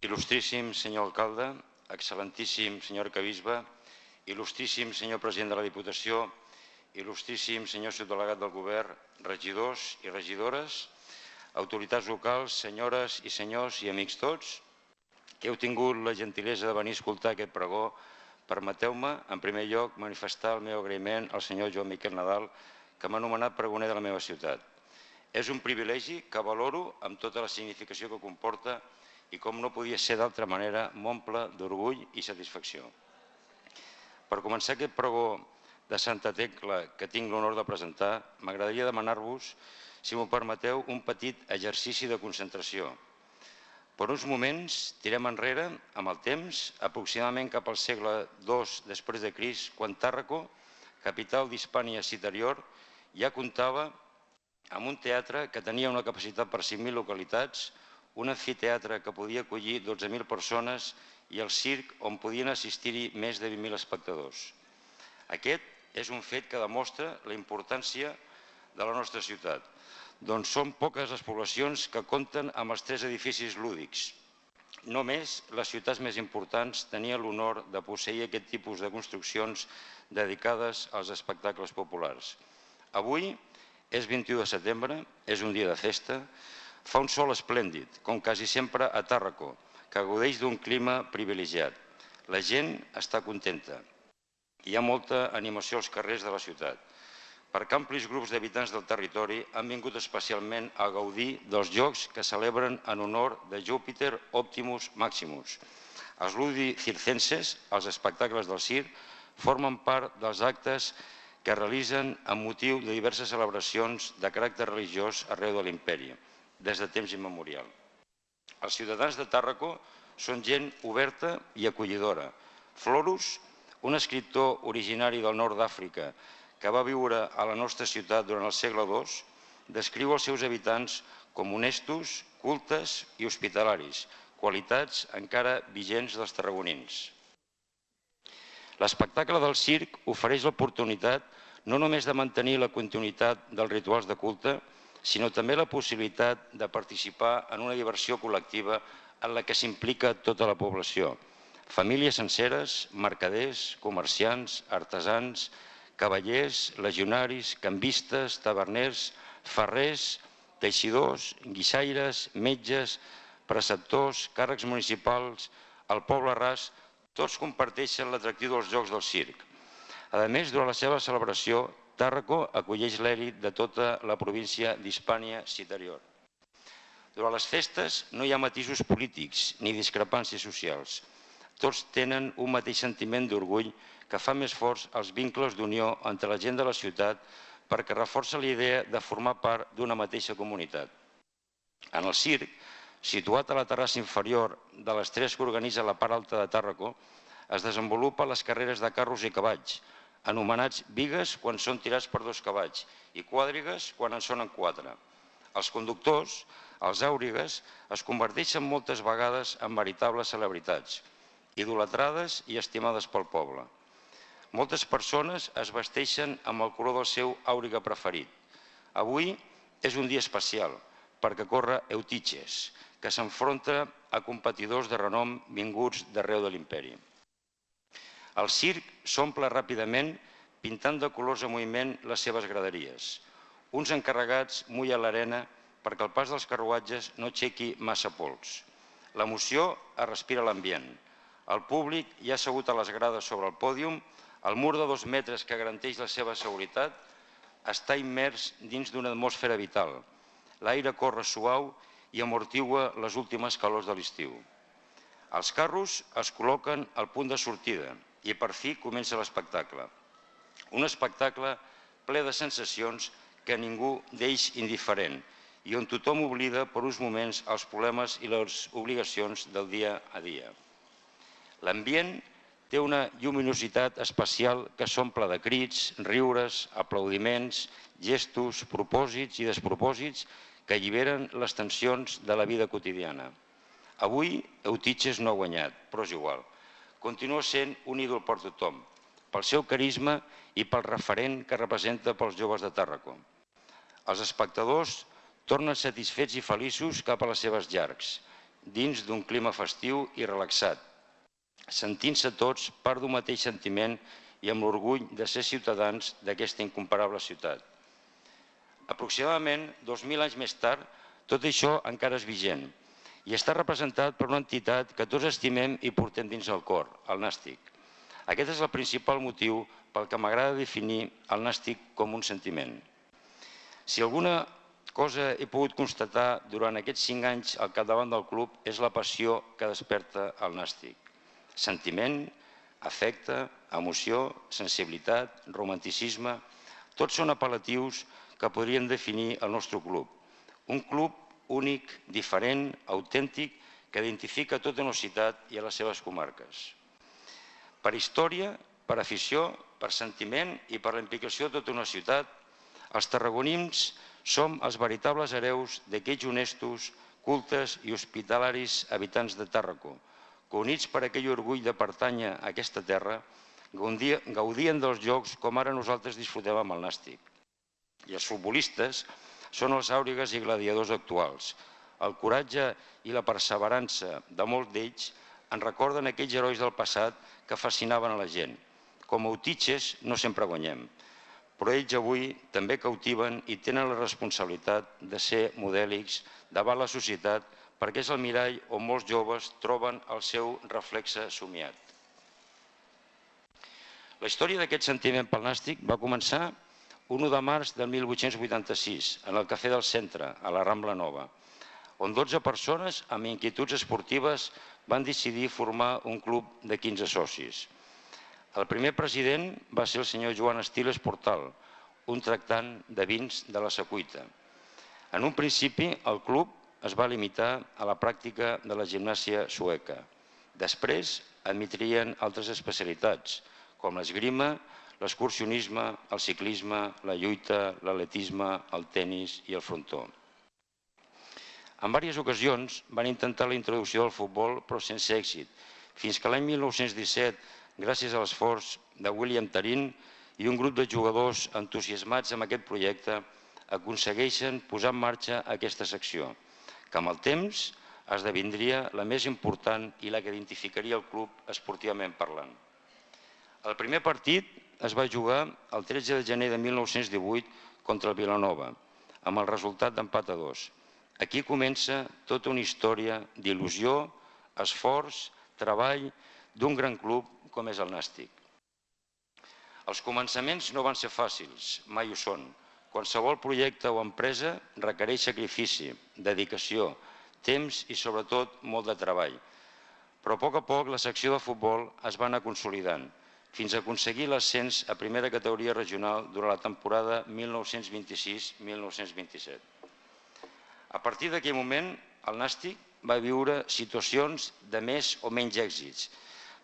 Il·lustríssim senyor alcalde, excel·lentíssim senyor arquebisbe, il·lustríssim senyor president de la Diputació, il·lustríssim senyor subdelegat del govern, regidors i regidores, autoritats locals, senyores i senyors i amics tots, que heu tingut la gentilesa de venir a escoltar aquest pregó, permeteu-me, en primer lloc, manifestar el meu agraïment al senyor Joan Miquel Nadal, que m'ha nomenat pregoner de la meva ciutat. És un privilegi que valoro amb tota la significació que comporta i, com no podia ser d'altra manera, m'omple d'orgull i satisfacció. Per començar aquest pregó de Santa Tecla que tinc l'honor de presentar, m'agradaria demanar-vos, si m'ho permeteu, un petit exercici de concentració. Per uns moments tirem enrere amb el temps, aproximadament cap al segle II després de Crist, quan Tàrraco, capital d'Hispània Citerior, ja comptava amb un teatre que tenia una capacitat per 5.000 localitats, un amfiteatre que podia acollir 12.000 persones i el circ on podien assistir-hi més de 20.000 espectadors. Aquest és un fet que demostra la importància de la nostra ciutat, doncs són poques les poblacions que compten amb els 3 edificis lúdics. Només les ciutats més importants tenien l'honor de posseir aquest tipus de construccions dedicades als espectacles populars. Avui és 21 de setembre, és un dia de festa, fa un sol esplèndid, com quasi sempre a Tàrraco, que gaudeix d'un clima privilegiat. La gent està contenta. Hi ha molta animació als carrers de la ciutat, perquè amplis grups d'habitants del territori han vingut especialment a gaudir dels jocs que celebren en honor de Júpiter Optimus Maximus. Els Ludi Circenses, els espectacles del circ, formen part dels actes que realitzen amb motiu de diverses celebracions de caràcter religiós arreu de l'imperi, des de temps immemorial. Els ciutadans de Tàrraco són gent oberta i acollidora. Florus, un escriptor originari del nord d'Àfrica que va viure a la nostra ciutat durant el segle II, descriu els seus habitants com honestos, cultes i hospitalaris, qualitats encara vigents dels tarragonins. L'espectacle del circ ofereix l'oportunitat no només de mantenir la continuïtat dels rituals de culte, sinó també la possibilitat de participar en una diversió col·lectiva en la que s'implica tota la població. Famílies senceres, mercaders, comerciants, artesans, cavallers, legionaris, cambistes, taverners, ferrers, teixidors, guixaires, metges, preceptors, càrrecs municipals, el poble ras, tots comparteixen l'atractiu dels jocs del circ. A més, durant la seva celebració, Tàrraco acolleix l'èlit de tota la província d'Hispània Citerior. Durant les festes no hi ha matisos polítics ni discrepàncies socials. Tots tenen un mateix sentiment d'orgull que fa més forts els vincles d'unió entre la gent de la ciutat perquè reforça la idea de formar part d'una mateixa comunitat. En el circ, situat a la terrassa inferior de les 3 que organitza la part alta de Tàrraco, es desenvolupen les carreres de carros i cavalls, anomenats bigues quan són tirats per 2 cavalls i quàdrigues quan en sonen 4. Els conductors, els àurigues, es converteixen moltes vegades en veritables celebritats, idolatrades i estimades pel poble. Moltes persones es vesteixen amb el color del seu àuriga preferit. Avui és un dia especial perquè corre Eutiches, que s'enfronta a competidors de renom vinguts d'arreu de l'imperi. El circ s'omple ràpidament pintant de colors en moviment les seves graderies. Uns encarregats mullen l'arena perquè el pas dels carruatges no aixequi massa pols. L'emoció es respira a l'ambient. El públic ja assegut a les grades sobre el pòdium, el mur de 2 metres que garanteix la seva seguretat està immers dins d'una atmosfera vital. L'aire corre suau i amortigua les últimes calors de l'estiu. Els carros es col·loquen al punt de sortida i per fi comença l'espectacle. Un espectacle ple de sensacions que ningú deix indiferent i on tothom oblida per uns moments els problemes i les obligacions del dia a dia. L'ambient té una lluminositat especial que s'omple de crits, riures, aplaudiments, gestos, propòsits i despropòsits que alliberen les tensions de la vida quotidiana. Avui Eutiches no ha guanyat, però és igual. Continua sent un ídol per tothom, pel seu carisma i pel referent que representa pels joves de Tàrraco. Els espectadors tornen satisfets i feliços cap a les seves llars, dins d'un clima festiu i relaxat, sentint-se tots part d'un mateix sentiment i amb l'orgull de ser ciutadans d'aquesta incomparable ciutat. Aproximadament 2.000 anys més tard, tot això encara és vigent i està representat per una entitat que tots estimem i portem dins el cor, el Nàstic. Aquest és el principal motiu pel que m'agrada definir el Nàstic com un sentiment. Si alguna cosa he pogut constatar durant aquests 5 anys al capdavant del club és la passió que desperta el Nàstic. Sentiment, afecte, emoció, sensibilitat, romanticisme, tots són apel·latius que podrien definir el nostre club. Un club únic, diferent, autèntic, que identifica tota una ciutat i a les seves comarques. Per història, per afició, per sentiment i per la implicació de tota una ciutat, els tarragonins som els veritables hereus d'aquells honestos, cultes i hospitalaris habitants de Tàrraco, que units per aquell orgull de pertànyer a aquesta terra, gaudien dels jocs com ara nosaltres disfrutem amb el Nàstic. I els futbolistes són els àuregues i gladiadors actuals. El coratge i la perseverança de molts d'ells ens recorden aquells herois del passat que fascinaven a la gent. Com a utitxes no sempre guanyem, però ells avui també cautiven i tenen la responsabilitat de ser modèlics davant la societat perquè és el mirall on molts joves troben el seu reflexe somiat. La història d'aquest sentiment pel Nàstic va començar un 1 de març de 1886, en el Cafè del Centre, a la Rambla Nova, on 12 persones amb inquietuds esportives van decidir formar un club de 15 socis. El primer president va ser el senyor Joan Estiles Portal, un tractant de vins de la Secuita. En un principi, el club es va limitar a la pràctica de la gimnàsia sueca. Després, admetrien altres especialitats, com l'esgrima, l'excursionisme, el ciclisme, la lluita, l'atletisme, el tenis i el frontó. En diverses ocasions van intentar la introducció del futbol, però sense èxit, fins que l'any 1917, gràcies a l'esforç de William Tarín i un grup de jugadors entusiasmats amb aquest projecte, aconsegueixen posar en marxa aquesta secció, que amb el temps esdevindria la més important i la que identificaria el club esportivament parlant. El primer partit es va jugar el 13 de gener de 1918 contra el Vilanova, amb el resultat d'empat a 2. Aquí comença tota una història d'il·lusió, esforç, treball d'un gran club com és el Nàstic. Els començaments no van ser fàcils, mai ho són. Qualsevol projecte o empresa requereix sacrifici, dedicació, temps i sobretot molt de treball. Però a poc la secció de futbol es va anar consolidant, fins a aconseguir l'ascens a primera categoria regional durant la temporada 1926-1927. A partir d'aquell moment, el Nàstic va viure situacions de més o menys èxits,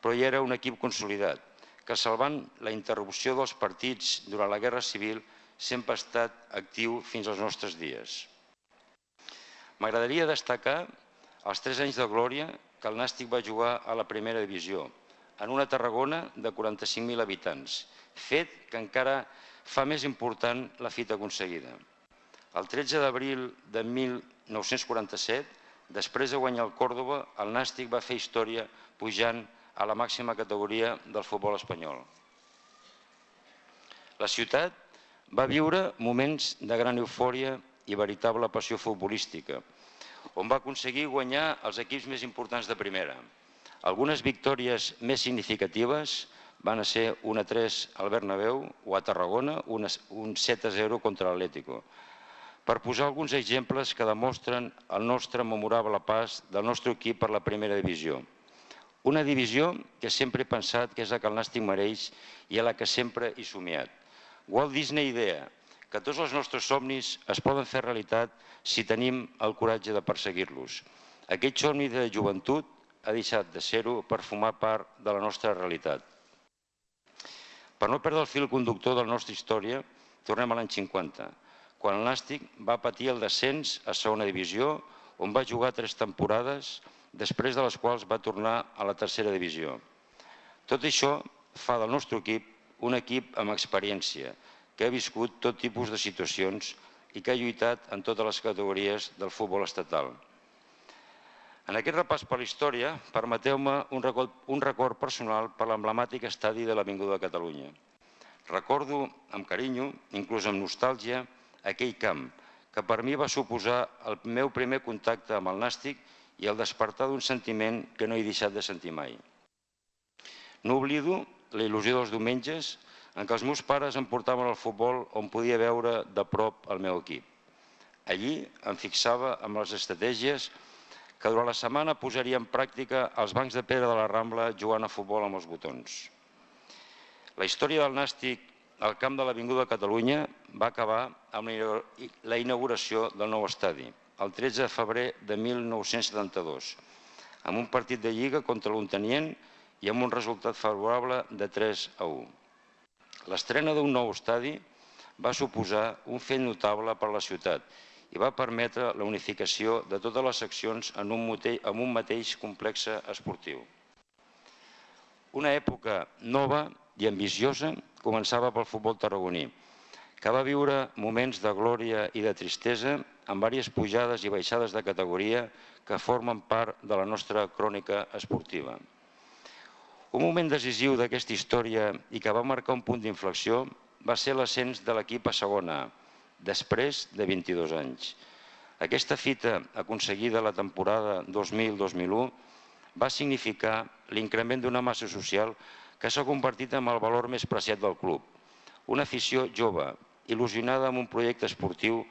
però ja era un equip consolidat, que salvant la interrupció dels partits durant la Guerra Civil sempre ha estat actiu fins als nostres dies. M'agradaria destacar els 3 anys de glòria que el Nàstic va jugar a la primera divisió, en una Tarragona de 45.000 habitants, fet que encara fa més important la fita aconseguida. El 13 d'abril de 1947, després de guanyar el Còrdova, el Nàstic va fer història pujant a la màxima categoria del futbol espanyol. La ciutat va viure moments de gran eufòria i veritable passió futbolística, on va aconseguir guanyar els equips més importants de primera. Algunes victòries més significatives van ser 1-3 al Bernabéu o a Tarragona, un 7-0 contra l'Atlético. Per posar alguns exemples que demostren el nostre memorable pas del nostre equip per la primera divisió. Una divisió que sempre he pensat que és la que el Nàstic mereix i a la que sempre he somiat. Walt Disney idea que tots els nostres somnis es poden fer realitat si tenim el coratge de perseguir-los. Aquest somni de joventut ha deixat de ser-ho per formar part de la nostra realitat. Per no perdre el fil conductor de la nostra història, tornem a l'any 50, quan el Nàstic va patir el descens a segona divisió, on va jugar 3 temporades, després de les quals va tornar a la tercera divisió. Tot això fa del nostre equip un equip amb experiència, que ha viscut tot tipus de situacions i que ha lluitat en totes les categories del futbol estatal. En aquest repàs per la història, permeteu-me un record personal per l'emblemàtic estadi de l'Avinguda de Catalunya. Recordo amb carinyo, inclús amb nostàlgia, aquell camp, que per mi va suposar el meu primer contacte amb el nàstic i el despertar d'un sentiment que no he deixat de sentir mai. No oblido la il·lusió dels diumenges en què els meus pares em portaven al futbol on podia veure de prop el meu equip. Allí em fixava amb les estratègies que durant la setmana posaria en pràctica als bancs de pedra de la Rambla jugant a futbol amb els botons. La història del nàstic al camp de l'Avinguda de Catalunya va acabar amb la inauguració del nou estadi, el 13 de febrer de 1972, amb un partit de Lliga contra l'Ontinyent i amb un resultat favorable de 3-1. L'estrena d'un nou estadi va suposar un fet notable per a la ciutat i va permetre la unificació de totes les seccions en un mateix complex esportiu. Una època nova i ambiciosa començava pel futbol tarragoní, que va viure moments de glòria i de tristesa amb diverses pujades i baixades de categoria que formen part de la nostra crònica esportiva. Un moment decisiu d'aquesta història i que va marcar un punt d'inflexió va ser l'ascens de l'equip a segona A, després de 22 anys. Aquesta fita aconseguida la temporada 2000-2001 va significar l'increment d'una massa social que s'ha convertit en el valor més preciat del club. Una afició jove, il·lusionada amb un projecte esportiu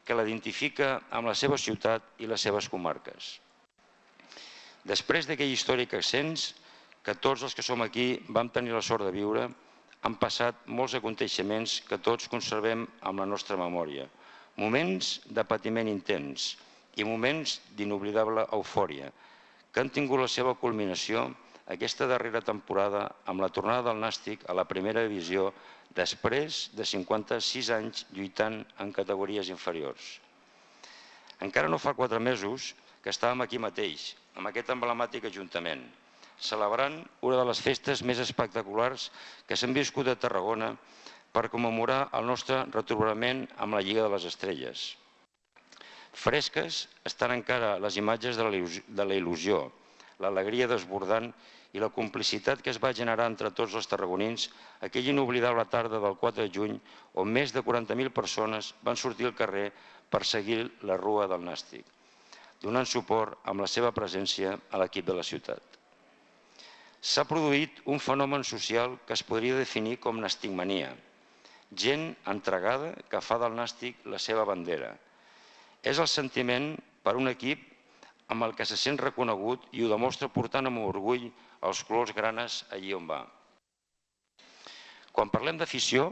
que l'identifica amb la seva ciutat i les seves comarques. Després d'aquell històric ascens, que tots els que som aquí vam tenir la sort de viure, han passat molts aconteixements que tots conservem amb la nostra memòria. Moments de patiment intens i moments d'inoblidable eufòria, que han tingut la seva culminació aquesta darrera temporada amb la tornada del nàstic a la primera divisió després de 56 anys lluitant en categories inferiors. Encara no fa 4 mesos que estàvem aquí mateix, amb aquest emblemàtic ajuntament, celebrant una de les festes més espectaculars que s'han viscut a Tarragona per commemorar el nostre retrobament amb la Lliga de les Estrelles. Fresques estan encara les imatges de la il·lusió, l'alegria desbordant i la complicitat que es va generar entre tots els tarragonins aquella inoblidable tarda del 4 de juny on més de 40.000 persones van sortir al carrer per seguir la rua del nàstic, donant suport amb la seva presència a l'equip de la ciutat. S'ha produït un fenomen social que es podria definir com nàsticmania, gent entregada que fa del nàstic la seva bandera. És el sentiment per un equip amb el que se sent reconegut i ho demostra portant amb orgull els colors granes allí on va. Quan parlem d'afició,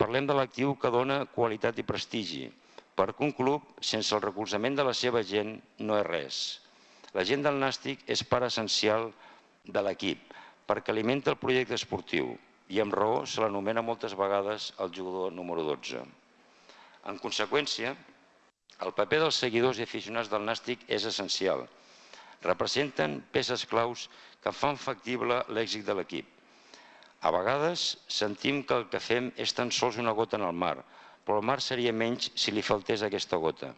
parlem de l'actiu que dona qualitat i prestigi, perquè un club sense el recolzament de la seva gent no és res. La gent del nàstic és part essencial de l'equip, perquè alimenta el projecte esportiu i amb raó se l'anomena moltes vegades el jugador número 12. En conseqüència, el paper dels seguidors i aficionats del nàstic és essencial. Representen peces claus que fan factible l'èxit de l'equip. A vegades sentim que el que fem és tan sols una gota en el mar, però el mar seria menys si li faltés aquesta gota.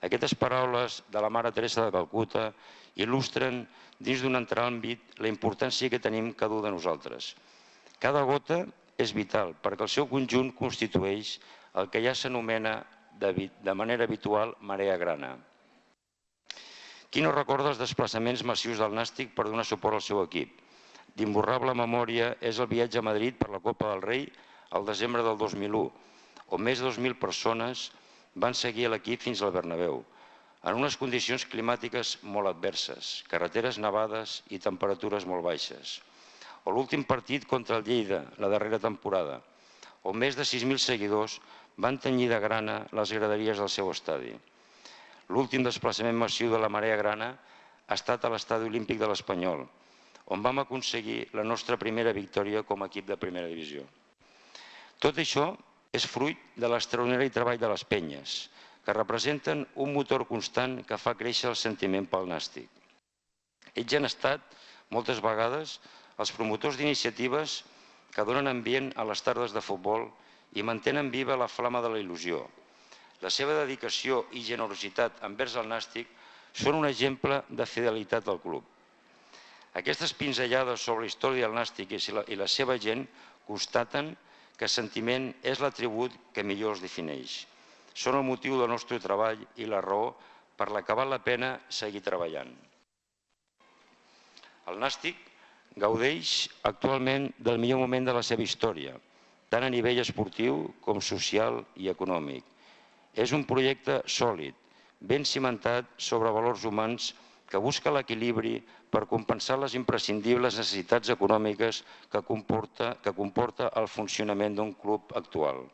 Aquestes paraules de la Mare Teresa de Calcuta il·lustren dins d'un altre àmbit la importància que tenim cada un de nosaltres. Cada gota és vital perquè el seu conjunt constitueix el que ja s'anomena de manera habitual marea grana. Qui no recorda els desplaçaments massius del nàstic per donar suport al seu equip? D'imborrable memòria és el viatge a Madrid per la Copa del Rei al desembre del 2001, on més de 2.000 persones van seguir l'equip fins al Bernabéu, en unes condicions climàtiques molt adverses, carreteres nevades i temperatures molt baixes. O l'últim partit contra el Lleida, la darrera temporada, on més de 6.000 seguidors van tenyir de grana les graderies del seu estadi. L'últim desplaçament massiu de la marea grana ha estat a l'Estadi Olímpic de l'Espanyol, on vam aconseguir la nostra primera victòria com a equip de primera divisió. Tot això és fruit de l'extraordinari treball de les penyes, que representen un motor constant que fa créixer el sentiment pel nàstic. Ells han estat, moltes vegades, els promotors d'iniciatives que donen ambient a les tardes de futbol i mantenen viva la flama de la il·lusió. La seva dedicació i generositat envers el nàstic són un exemple de fidelitat al club. Aquestes pinzellades sobre la història del Nàstic i la seva gent constaten que sentiment és l'atribut que millor els defineix. Són el motiu del nostre treball i la raó per la que val la pena seguir treballant. El Nàstic gaudeix actualment del millor moment de la seva història, tant a nivell esportiu com social i econòmic. És un projecte sòlid, ben cimentat sobre valors humans que busca l'equilibri per compensar les imprescindibles necessitats econòmiques que comporta el funcionament d'un club actual.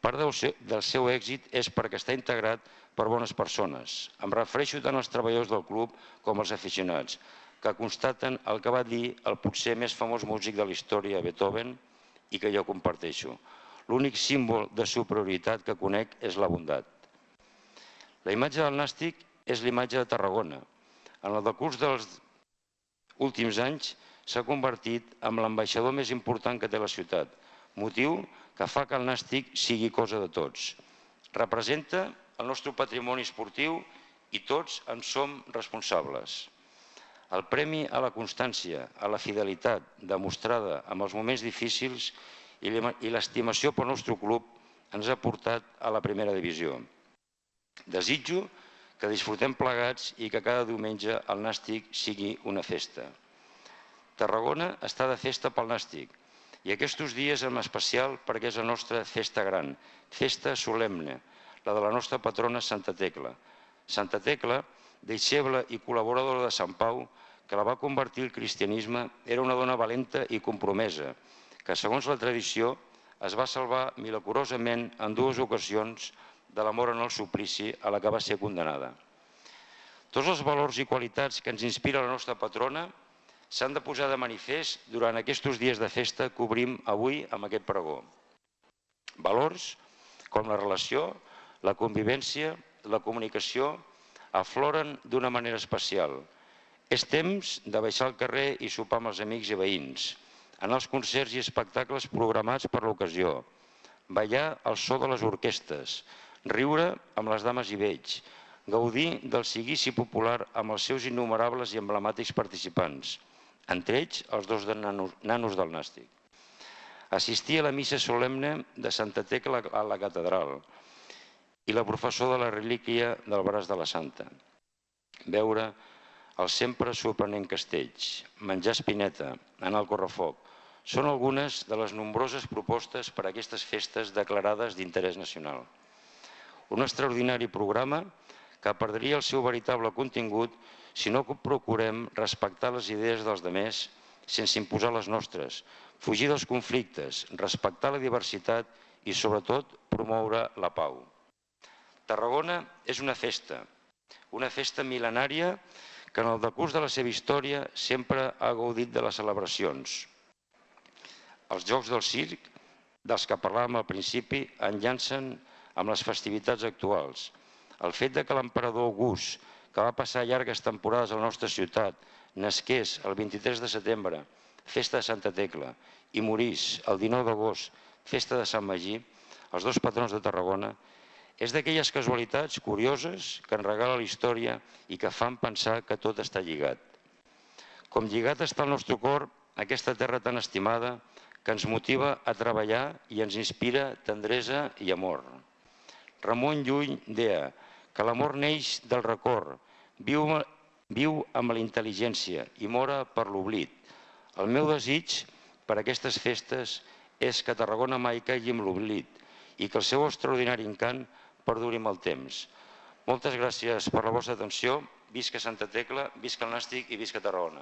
Part del seu èxit és perquè està integrat per bones persones. Em refereixo tant als treballadors del club com als aficionats, que constaten el que va dir el potser més famós músic de la història, Beethoven, i que jo comparteixo. L'únic símbol de superioritat que conec és la bondat. La imatge del Nàstic és l'imatge de Tarragona. En el decurs dels últims anys s'ha convertit en l'ambaixador més important que té la ciutat, motiu que fa que el Nàstic sigui cosa de tots. Representa el nostre patrimoni esportiu i tots en som responsables. El premi a la constància, a la fidelitat demostrada en els moments difícils i l'estimació pel nostre club ens ha portat a la primera divisió. Desitjo que disfrutem plegats i que cada diumenge el Nàstic sigui una festa. Tarragona està de festa pel Nàstic i aquests dies en especial perquè és la nostra festa gran, festa solemne, la de la nostra patrona Santa Tecla. Santa Tecla, deixeble i col·laboradora de Sant Pau, que la va convertir al cristianisme, era una dona valenta i compromesa, que segons la tradició es va salvar milagrosament en 2 ocasions de la mort en el suplici a la que va ser condenada. Tots els valors i qualitats que ens inspira la nostra patrona s'han de posar de manifest durant aquests dies de festa que obrim avui amb aquest pregó. Valors com la relació, la convivència, la comunicació afloren d'una manera especial. És temps de baixar al carrer i sopar amb els amics i veïns, anar als concerts i espectacles programats per l'ocasió, ballar al so de les orquestres, riure amb les dames i vells, gaudir del seguici popular amb els seus innumerables i emblemàtics participants, entre ells els 2 nanos del Nàstic. Assistir a la missa solemne de Santa Tecla a la catedral i la professó de la relíquia del braç de la Santa. Veure els sempre sorprenent castells, menjar espineta, anar al correfoc, són algunes de les nombroses propostes per a aquestes festes declarades d'interès nacional. Un extraordinari programa que perdria el seu veritable contingut si no procurem respectar les idees dels demés sense imposar les nostres, fugir dels conflictes, respectar la diversitat i, sobretot, promoure la pau. Tarragona és una festa mil·lenària que en el decurs de la seva història sempre ha gaudit de les celebracions. Els Jocs del Circ, dels que parlàvem al principi, enllancen amb les festivitats actuals. El fet que l'emperador August, que va passar llargues temporades a la nostra ciutat, nasqués el 23 de setembre, festa de Santa Tecla, i morís el 19 d'agost, festa de Sant Magí, els 2 patrons de Tarragona, és d'aquelles casualitats curioses que ens regala la història i que fan pensar que tot està lligat. Com lligat està el nostre cor, aquesta terra tan estimada, que ens motiva a treballar i ens inspira tendresa i amor. Ramon Llull deia que l'amor neix del record, viu amb la intel·ligència i mora per l'oblit. El meu desig per a aquestes festes és que Tarragona mai caigui en l'oblit i que el seu extraordinari encant perduri amb el temps. Moltes gràcies per la vostra atenció. Visca Santa Tecla, visca el Nàstic i visca Tarragona.